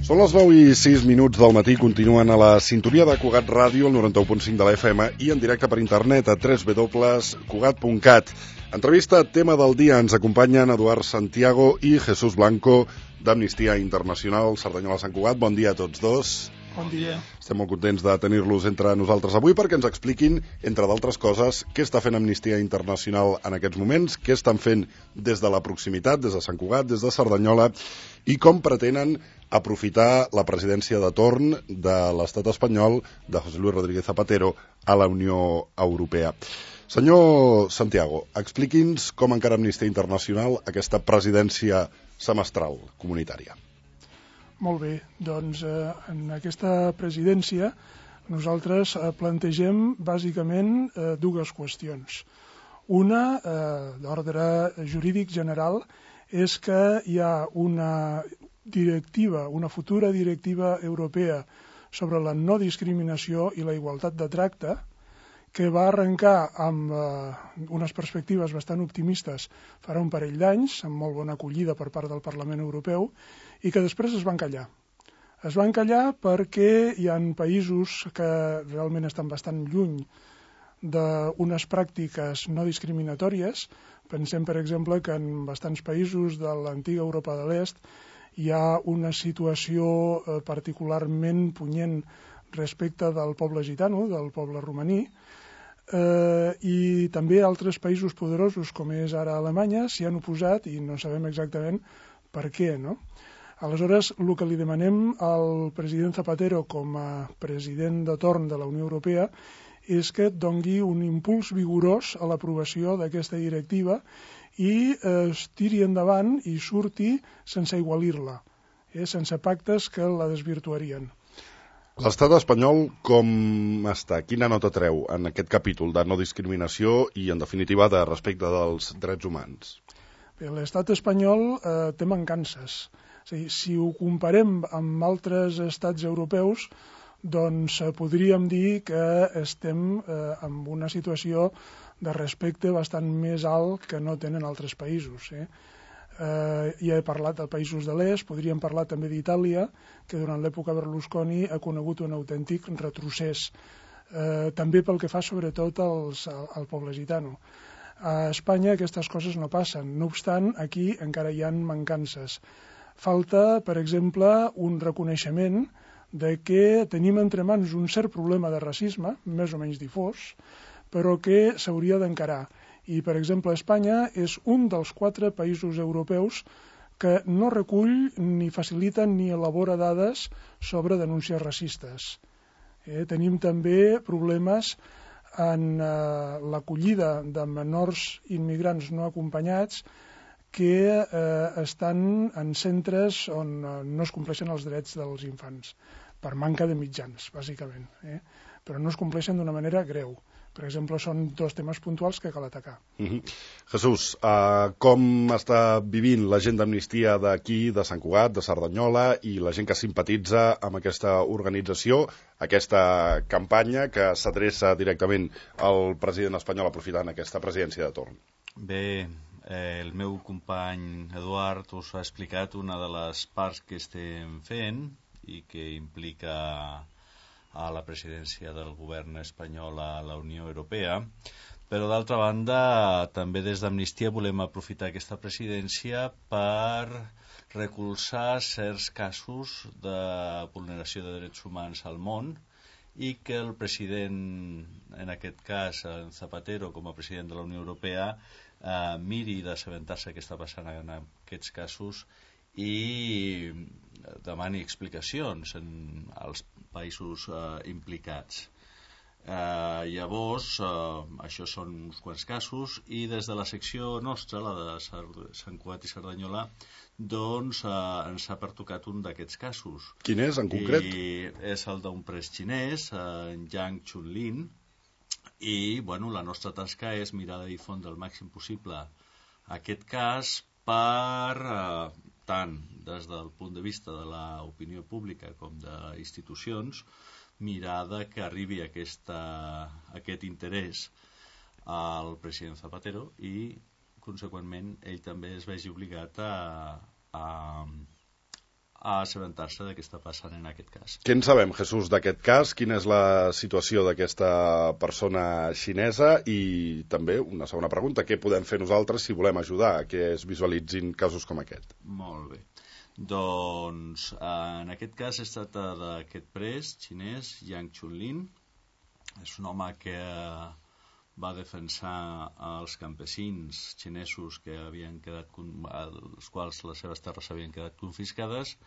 Són les 9:06 del matí, continuen a la sintonia de Cugat Ràdio, el 91.5 de la FM, i en directe per internet a www.cugat.cat. Entrevista tema del dia, ens acompanyen Eduard Santiago i Jesús Blanco d'Amnistia Internacional Cerdanyola Sant Cugat. Bon dia a tots dos. Bon dia. Estem molt contents de tenir-los entre nosaltres avui perquè ens expliquin, entre d'altres coses, què està fent Amnistia Internacional en aquests moments, què estan fent des de la proximitat, des de Sant Cugat, des de Cerdanyola, i com pretenen aprofitar la presidència de torn de l'estat espanyol de José Luis Rodríguez Zapatero a la Unió Europea. Senyor Santiago, expliqui'ns com encara Amnistia Internacional aquesta presidència semestral comunitària. Molt bé, doncs en aquesta presidència nosaltres plantegem bàsicament dues qüestions. Una, d'ordre jurídic general, és que hi ha una directiva, una futura directiva europea sobre la no discriminació i la igualtat de tracte, que va arrencar amb unes perspectives bastant optimistes farà un parell d'anys, amb molt bona acollida per part del Parlament Europeu, i que després es van callar. Es van callar perquè hi ha països que realment estan bastant lluny d'unes pràctiques no discriminatòries. Pensem, per exemple, que en bastants països de l'antiga Europa de l'Est hi ha una situació particularment punyent respecte del poble gitano, del poble romaní, i també altres països poderosos, com és ara Alemanya, s'hi han oposat i no sabem exactament per què, no? Aleshores, el que li demanem al president Zapatero com a president de torn de la Unió Europea és que doni un impuls vigorós a l'aprovació d'aquesta directiva i es tiri endavant i surti sense igualir-la, sense pactes que la desvirtuarien. L'estat espanyol com està? Quina nota treu en aquest capítol de no discriminació i, en definitiva, de respecte dels drets humans? Bé, l'estat espanyol té mancances. És a dir, si ho comparem amb altres estats europeus, doncs podríem dir que estem en una situació de respecte bastant més alt que no tenen altres països. Ja he parlat de països de l'est, podríem parlar també d'Itàlia, que durant l'època Berlusconi ha conegut un autèntic retrocés, també pel que fa sobretot al poble gitano. A Espanya aquestes coses no passen, no obstant, aquí encara hi ha mancances. Falta, per exemple, un reconeixement de que tenim entre mans un cert problema de racisme, més o menys difós, però que s'hauria d'encarar. I, per exemple, Espanya és un dels 4 països europeus que no recull ni facilita ni elabora dades sobre denúncies racistes. Tenim també problemes en l'acollida de menors immigrants no acompanyats que estan en centres on no es compleixen els drets dels infants, per manca de mitjans, bàsicament, però no es compleixen d'una manera greu. Per exemple, són 2 temes puntuals que cal atacar. Jesús, com està vivint la gent d'Amnistia d'aquí, de Sant Cugat, de Cerdanyola, i la gent que simpatitza amb aquesta organització, aquesta campanya que s'adreça directament al president espanyol aprofitant aquesta presidència de torn? Bé, el meu company Eduard us ha explicat una de les parts que estem fent i que implica a la presidència del govern espanyol a la Unió Europea, però d'altra banda també des d'Amnistia volem aprofitar aquesta presidència per recolzar certs casos de vulneració de drets humans al món i que el president, en aquest cas Zapatero com a president de la Unió Europea, miri d'assabentar-se què està passant en aquests casos i demani explicacions als països implicats. Llavors, això són uns quants casos i des de la secció nostra, la de Sant Cugat i Cerdanyola, doncs ens ha pertocat un d'aquests casos. Quin és, en concret? I és el d'un pres xinès, Yang Chunlin, i la nostra tasca és mirar de difondre el màxim possible aquest cas per tant des del punt de vista de l'opinió pública com d'institucions mirar que arribi aquest interès al president Zapatero i conseqüentment ell també es vegi obligat a a assabentar-se de què està passant en aquest cas. Què en sabem, Jesús, d'aquest cas? Quina és la situació d'aquesta persona xinesa? I també, una segona pregunta, què podem fer nosaltres si volem ajudar a que es visualitzin casos com aquest? Molt bé. Doncs, en aquest cas es tracta d'aquest pres xinès, Yang Chunlin. És un home que va defensar els campesins xinesos que havien quedat, als quals les seves terres havien quedat confiscades,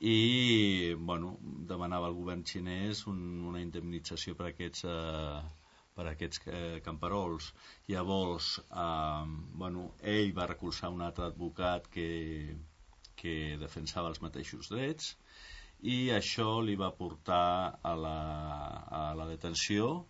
i demanava al govern xinès una indemnització per aquests camperols. Llavors ell va recolzar un altre advocat que defensava els mateixos drets, i això li va portar a la detenció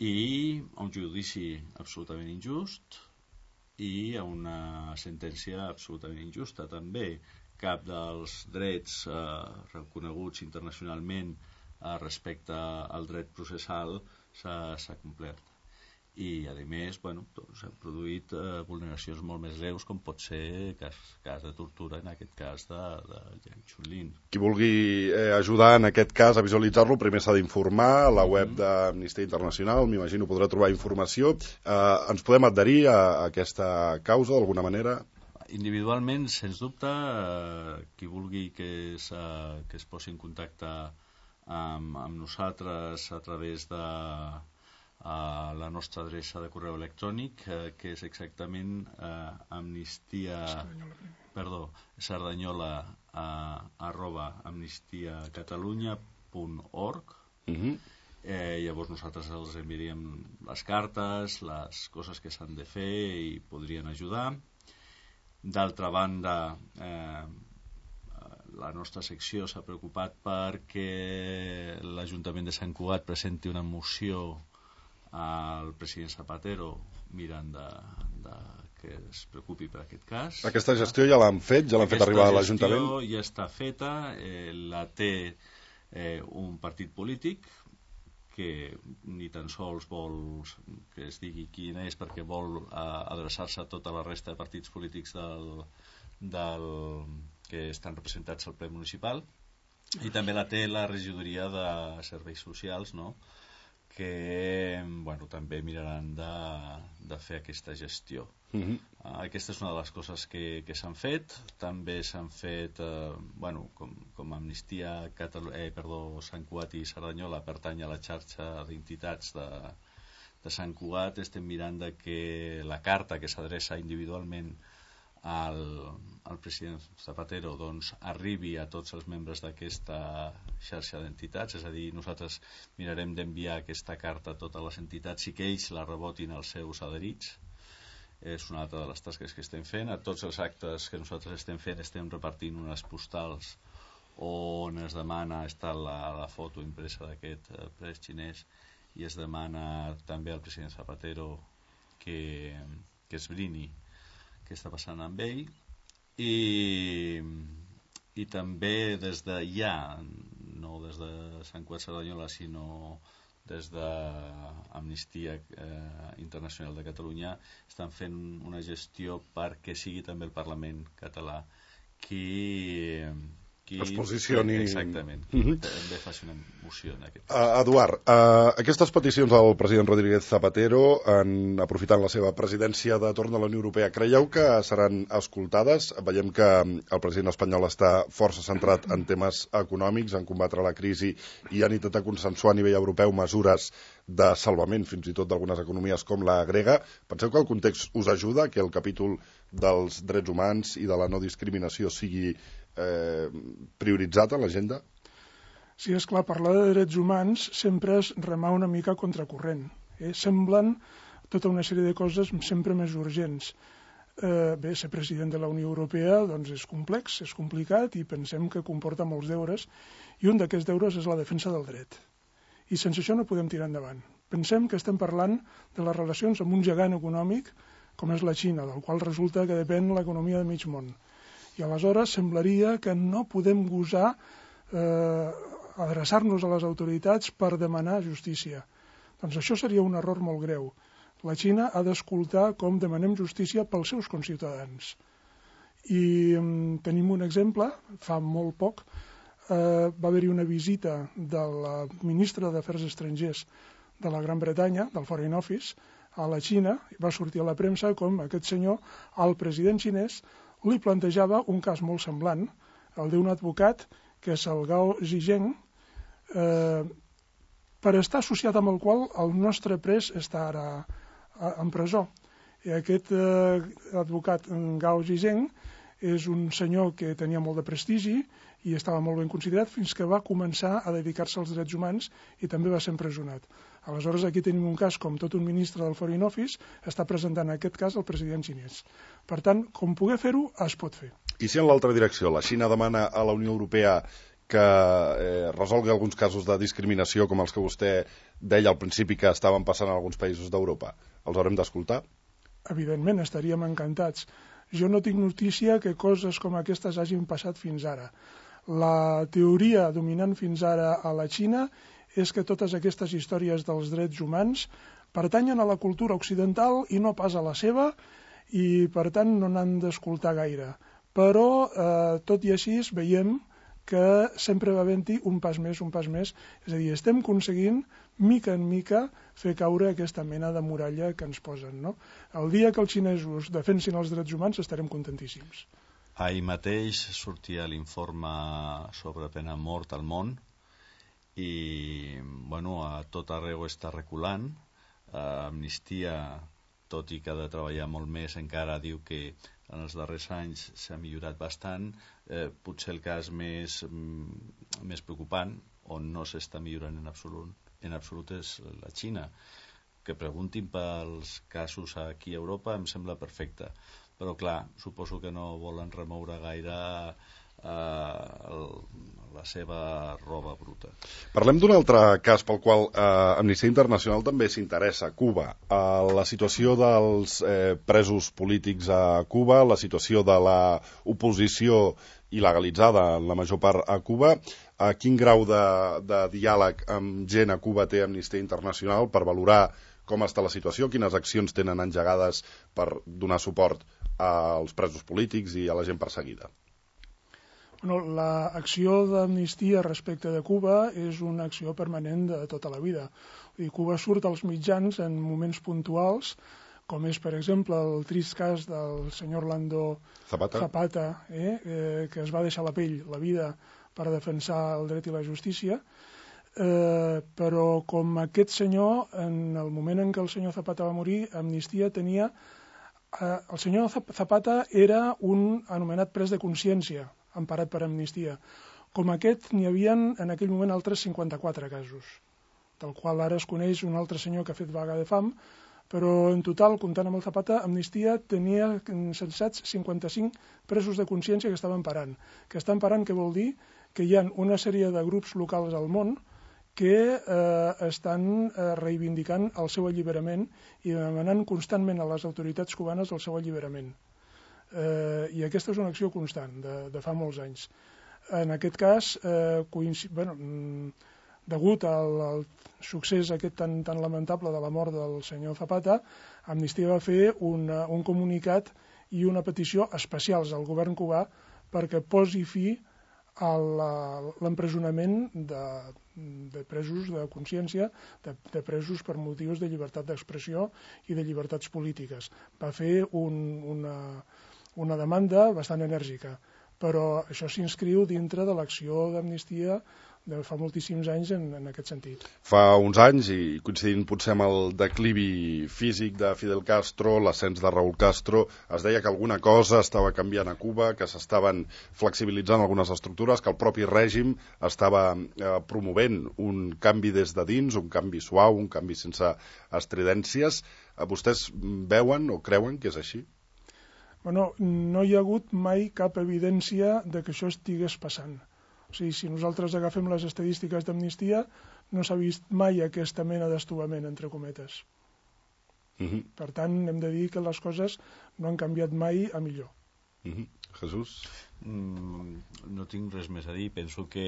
i a un judici absolutament injust i a una sentència absolutament injusta també. Cap dels drets reconeguts internacionalment respecte al dret processal s'ha complert. I, a més, s'han produït vulneracions molt més greus, com pot ser cas de tortura, en aquest cas de Yang Chunlin. Qui vulgui ajudar en aquest cas a visualitzar-lo, primer s'ha d'informar a la web d'Amnistia Internacional, m'imagino podrà trobar informació. Ens podem adherir a aquesta causa d'alguna manera? Individualment, sens dubte, qui vulgui que es posi en contacte amb nosaltres a través de la nostra adreça de correu electrònic, que és exactament sardanyola@amnistiacatalunya.org. Llavors nosaltres els enviaríem les cartes, les coses que s'han de fer, i podrien ajudar. D'altra banda, la nostra secció s'ha preocupat perquè l'Ajuntament de Sant Cugat presenti una moció al president Zapatero mirant que es preocupi per aquest cas. Aquesta gestió ja l'han fet? Ja l'han fet arribar a l'Ajuntament? Aquesta gestió ja està feta, la té un partit polític que ni tan sols vol que es digui quin és, perquè vol adreçar-se a tota la resta de partits polítics que estan representats al ple municipal, i també la té la regidoria de serveis socials, no?, que també miraran de fer aquesta gestió. Aquesta és una de les coses que s'han fet. També s'han fet, com Amnistia Sant Cugat i Cerdanyola pertany a la xarxa d'entitats de Sant Cugat, estem mirant de que la carta que s'adreça individualment al president Zapatero arribi a tots els membres d'aquesta xarxa d'entitats. És a dir, nosaltres mirarem d'enviar aquesta carta a totes les entitats i que ells la rebotin als seus adherits. És una altra de les tasques que estem fent. A tots els actes que nosaltres estem fent estem repartint unes postals on es demana, està la foto impresa d'aquest pres xinès, i es demana també al president Zapatero que esbrini què està passant amb ell, i també des de no des de Sant Cugat Cerdanyola, sinó des d'Amnistia Internacional de Catalunya, estan fent una gestió perquè sigui també el Parlament català qui es posicioni. Exactament, també faci una moció en aquest cas. Eduard, aquestes peticions al president Rodríguez Zapatero, aprofitant la seva presidència de torn a la Unió Europea, creieu que seran escoltades? Veiem que el president espanyol està força centrat en temes econòmics, en combatre la crisi, i han intentat consensuar a nivell europeu mesures de salvament, fins i tot d'algunes economies com la grega. Penseu que el context us ajuda, que el capítol dels drets humans i de la no discriminació sigui prioritzat a l'agenda? Sí, és clar, parlar de drets humans sempre és remar una mica contracorrent. Semblen tota una sèrie de coses sempre més urgents. Bé, ser president de la Unió Europea és complex, és complicat, i pensem que comporta molts deures, i un d'aquests deures és la defensa del dret. I sense això no podem tirar endavant. Pensem que estem parlant de les relacions amb un gegant econòmic com és la Xina, del qual resulta que depèn l'economia de mig món. I aleshores semblaria que no podem gosar adreçar-nos a les autoritats per demanar justícia. Doncs això seria un error molt greu. La Xina ha d'escoltar com demanem justícia pels seus conciutadans. I tenim un exemple, fa molt poc, va haver-hi una visita de la ministra d'Afers Estrangers de la Gran Bretanya, del Foreign Office, a la Xina, i va sortir a la premsa com aquest senyor, al president xinès, li plantejava un cas molt semblant, el d'un advocat, que és el Gao Zhizheng, per estar associat amb el qual el nostre pres està ara en presó. I aquest advocat Gao Zhizheng és un senyor que tenia molt de prestigi i estava molt ben considerat fins que va començar a dedicar-se als drets humans i també va ser empresonat. Aleshores, aquí tenim un cas com tot un ministre del Foreign Office està presentant aquest cas al president xinès. Per tant, com poder fer-ho, es pot fer. I si en l'altra direcció la Xina demana a la Unió Europea que resolgui alguns casos de discriminació com els que vostè deia al principi que estaven passant en alguns països d'Europa, els haurem d'escoltar? Evidentment, estaríem encantats. Jo no tinc notícia que coses com aquestes hagin passat fins ara. La teoria dominant fins ara a la Xina és que totes aquestes històries dels drets humans pertanyen a la cultura occidental i no pas a la seva, i per tant no n'han d'escoltar gaire. Però, tot i així, veiem que sempre va havent-hi un pas més, és a dir, estem aconseguint, mica en mica, fer caure aquesta mena de muralla que ens posen, no? El dia que els xinesos defensin els drets humans estarem contentíssims. Ahir mateix sortia l'informe sobre pena de mort al món i, bueno, a tot arreu està reculant. Amnistia, tot i que ha de treballar molt més, encara diu que en els darrers anys s'ha millorat bastant. Potser el cas més preocupant, on no s'està millorant en absolut és la Xina. Que preguntin pels casos aquí a Europa em sembla perfecte, però clar, suposo que no volen remoure gaire la seva roba bruta. Parlem d'un altre cas pel qual Amnistia Internacional també s'interessa, Cuba. La situació dels presos polítics a Cuba, la situació de l'oposició il·legalitzada en la major part a Cuba. Quin grau de diàleg amb gent a Cuba té Amnistia Internacional per valorar com està la situació, quines accions tenen engegades per donar suport als presos polítics i a la gent perseguida? L'acció d'Amnistia respecte de Cuba és una acció permanent de tota la vida. Cuba surt als mitjans en moments puntuals, com és, per exemple, el trist cas del senyor Orlando Zapata, que es va deixar la pell, la vida, per defensar el dret i la justícia, però com aquest senyor, en el moment en què el senyor Zapata va morir, Amnistia tenia... El senyor Zapata era un anomenat pres de consciència, emparat per Amnistia. Com aquest, n'hi havia en aquell moment altres 54 casos, del qual ara es coneix un altre senyor que ha fet vaga de fam, però en total, comptant amb el Zapata, Amnistia tenia censats 55 presos de consciència que estaven parant. Que estan parant, què vol dir? Que hi ha una sèrie de grups locals al món que estan reivindicant el seu alliberament i demanant constantment a les autoritats cubanes el seu alliberament. I aquesta és una acció constant, de fa molts anys. En aquest cas, degut al succés aquest tan lamentable de la mort del senyor Zapata, Amnistia va fer un comunicat i una petició especials al govern cubà perquè posi fi a l'empresonament de presos de consciència, de presos per motius de llibertat d'expressió i de llibertats polítiques. Va fer una demanda bastant enèrgica, però això s'inscriu dintre de l'acció d'Amnistia de fa moltíssims anys en aquest sentit. Fa uns anys, i coincidint potser amb el declivi físic de Fidel Castro, l'ascens de Raúl Castro, es deia que alguna cosa estava canviant a Cuba, que s'estaven flexibilitzant algunes estructures, que el propi règim estava promovent un canvi des de dins, un canvi suau, un canvi sense estridències. Vostès veuen o creuen que és així? No hi ha hagut mai cap evidència de que això estigués passant. O sigui, si nosaltres agafem les estadístiques d'Amnistia, no s'ha vist mai aquesta mena d'estovament, entre cometes. Per tant, hem de dir que les coses no han canviat mai a millor. Jesús? No tinc res més a dir. Penso que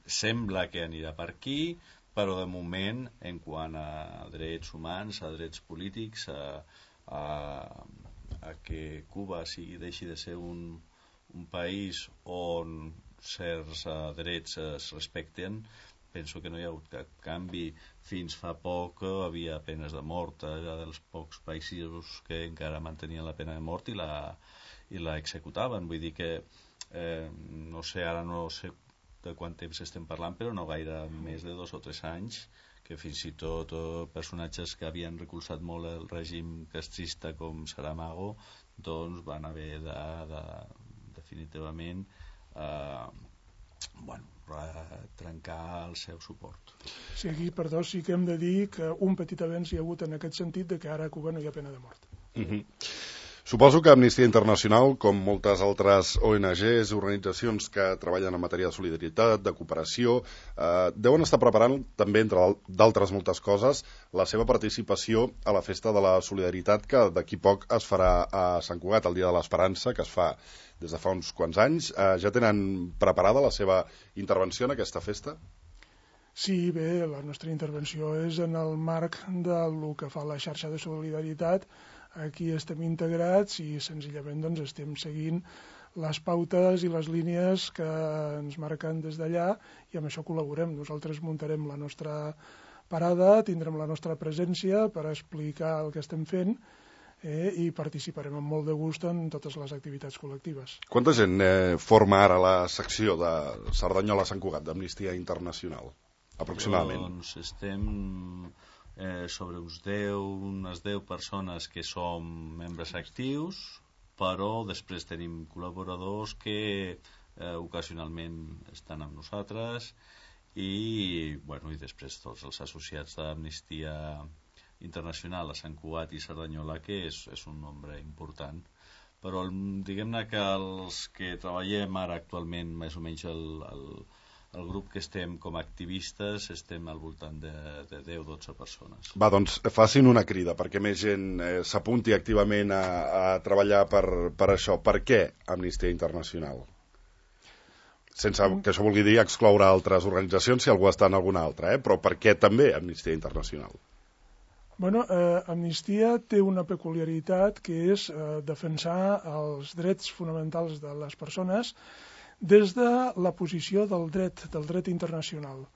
sembla que anirà per aquí, però de moment, en quant a drets humans, a drets polítics, a a que Cuba deixi de ser un país on certs drets es respecten. Penso que no hi ha hagut cap canvi. Fins fa poc havia penes de mort, era dels pocs països que encara mantenien la pena de mort i la executaven. Vull dir que no sé de quant temps estem parlant, però no gaire més de 2 o 3 anys, que fins i tot personatges que havien recolzat molt el règim castrista com Saramago doncs van haver de definitivament trencar el seu suport. Sí, aquí, perdó, sí que hem de dir que un petit avenç hi ha hagut en aquest sentit de que ara a Cuba no hi ha pena de mort. Suposo que Amnistia Internacional, com moltes altres ONGs i organitzacions que treballen en matèria de solidaritat, de cooperació, deuen estar preparant també, entre d'altres moltes coses, la seva participació a la Festa de la Solidaritat, que d'aquí poc es farà a Sant Cugat, el Dia de l'Esperança, que es fa des de fa uns quants anys. Ja tenen preparada la seva intervenció en aquesta festa? Sí, bé, la nostra intervenció és en el marc del que fa la xarxa de solidaritat. Aquí estem integrats i senzillament doncs, estem seguint les pautes i les línies que ens marquen des d'allà i amb això col·laborem. Nosaltres muntarem la nostra parada, tindrem la nostra presència per explicar el que estem fent i participarem amb molt de gust en totes les activitats col·lectives. Quanta gent forma ara la secció de Cerdanyola-Sant Cugat d'Amnistia Internacional, aproximadament? Doncs estem sobre unes 10 persones que som membres actius, però després tenim col·laboradors que ocasionalment estan amb nosaltres i després tots els associats d'Amnistia Internacional a Sant Cugat i Cerdanyola, que és un nombre important. Però diguem-ne que els que treballem ara actualment, més o menys el grup que estem com a activistes, estem al voltant de 10-12 persones. Va, doncs facin una crida perquè més gent s'apunti activament a treballar per això. Per què Amnistia Internacional? Sense que això vulgui dir excloure altres organitzacions si algú està en alguna altra, però per què també Amnistia Internacional? Bueno, Amnistia té una peculiaritat que és defensar els drets fonamentals de les persones des de la posició del dret internacional.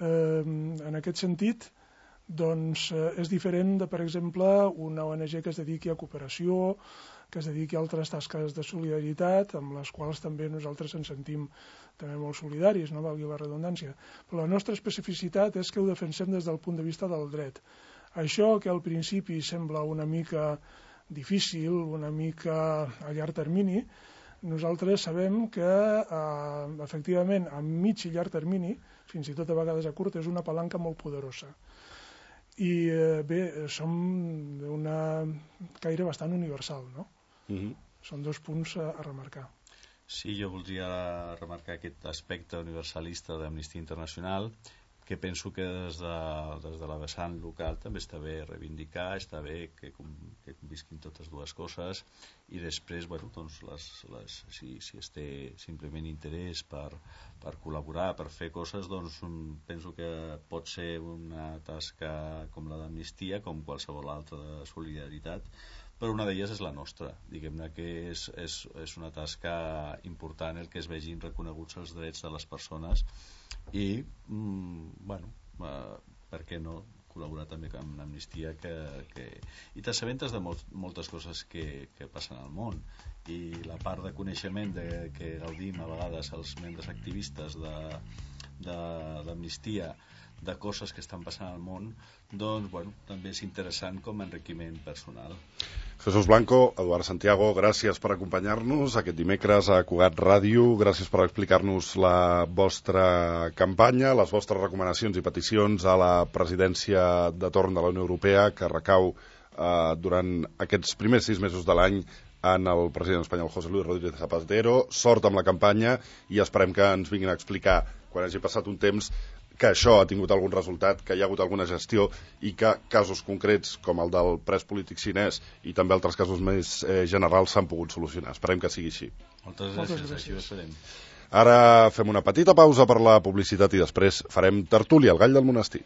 En aquest sentit, doncs, és diferent de, per exemple, una ONG que es dediqui a cooperació, que es dediqui a altres tasques de solidaritat, amb les quals també nosaltres ens sentim també molt solidaris, no valgui la redundància. Però la nostra especificitat és que ho defensem des del punt de vista del dret. Això que al principi sembla una mica difícil, una mica a llarg termini, nosaltres sabem que efectivament a mig i llarg termini, fins i tot a vegades a curt, és una palanca molt poderosa. I bé, som d'una caire bastant universal, no? Són 2 punts a remarcar. Sí, jo voldria remarcar aquest aspecte universalista d'Amnistia Internacional, que penso que des de la vessant local també està bé reivindicar, està bé que convisquin totes dues coses i després, doncs, si es té simplement interès per col·laborar, per fer coses, doncs penso que pot ser una tasca com la d'Amnistia, com qualsevol altra de solidaritat, però una d'elles és la nostra. Diguem-ne que és una tasca important el que es vegin reconeguts els drets de les persones i, per què no col·laborar també amb l'Amnistia i t'assabentes de moltes coses que passen al món i la part de coneixement que gaudim a vegades els membres activistes d'Amnistia de coses que estan passant al món, doncs, també és interessant com a enriquiment personal. Jesús Blanco, Eduard Santiago, gràcies per acompanyar-nos aquest dimecres a Cugat Ràdio, gràcies per explicar-nos la vostra campanya, les vostres recomanacions i peticions a la presidència de torn de la Unió Europea, que recau durant aquests primers 6 mesos de l'any en el president espanyol José Luis Rodríguez Zapatero. Sort amb la campanya i esperem que ens vinguin a explicar, quan hagi passat un temps, que això ha tingut algun resultat, que hi ha hagut alguna gestió i que casos concrets com el del pres polític xinès i també altres casos més generals s'han pogut solucionar. Esperem que sigui així. Moltes gràcies. Així ho esperem. Ara fem una petita pausa per la publicitat i després farem tertúlia al Gall del Monestir.